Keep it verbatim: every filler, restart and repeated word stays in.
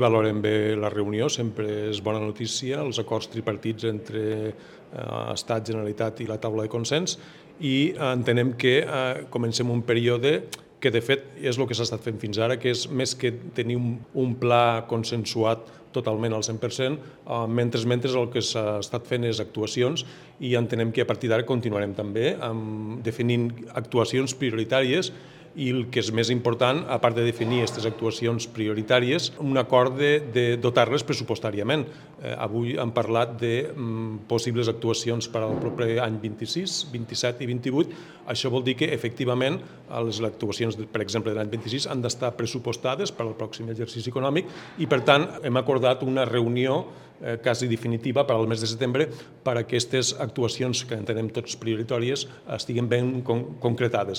Valorem bé la reunió, sempre és bona notícia, els acords tripartits entre eh, Estat, Generalitat i la taula de consens, i entenem que eh, comencem un període que de fet és el que s'ha estat fent fins ara, que és més que tenir un, un pla consensuat totalment al cent per cent, eh, mentre mentre el que s'ha estat fent és actuacions, i entenem que a partir d'ara continuarem també amb definint actuacions prioritàries, i el que és més important, a part de definir aquestes actuacions prioritàries, un acord de, de dotar-les pressupostàriament. Eh, avui hem parlat de mm, possibles actuacions per al proper any vint-i-sis, vint-i-set i vint-i-vuit. Això vol dir que, efectivament, les actuacions, per exemple, de l'any vint-i-sis han d'estar pressupostades per al pròxim exercici econòmic, i, per tant, hem acordat una reunió eh, quasi definitiva per al mes de setembre per a aquestes actuacions que entenem tots prioritàries estiguin ben con concretades.